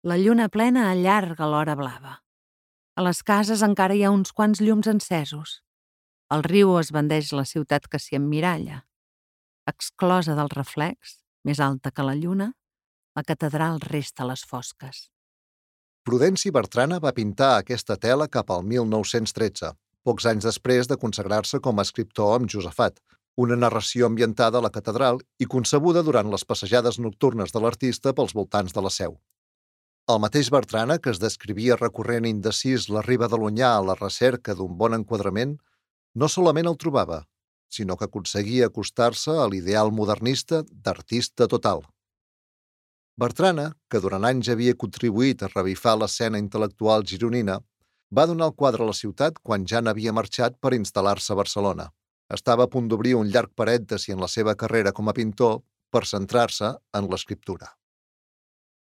La lluna plena allarga l'hora blava. A les cases encara hi ha uns quants llums encesos. El riu esbandeix la ciutat que s'hi emmiralla. Exclosa del reflex, més alta que la lluna, la catedral resta a les fosques. Prudenci Bertrana va pintar aquesta tela cap al 1913, pocs anys després de consagrar-se com a escriptor amb Josafat, una narració ambientada a la catedral i concebuda durant les passejades nocturnes de l'artista pels voltants de la Seu. El mateix Bertrana, que es descrivia recorrent indecís la riba de l'Onyar a la recerca d'un bon enquadrament, no solament el trobava, sinó que aconseguia acostar-se a l'ideal modernista d'artista total. Bertrana, que durant anys havia contribuït a revifar l'escena intel·lectual gironina, va donar el quadre a la ciutat quan ja n'havia marxat per instal·lar-se a Barcelona. Estava a punt d'obrir un llarg parèntesi en la seva carrera com a pintor per centrar-se en l'escriptura.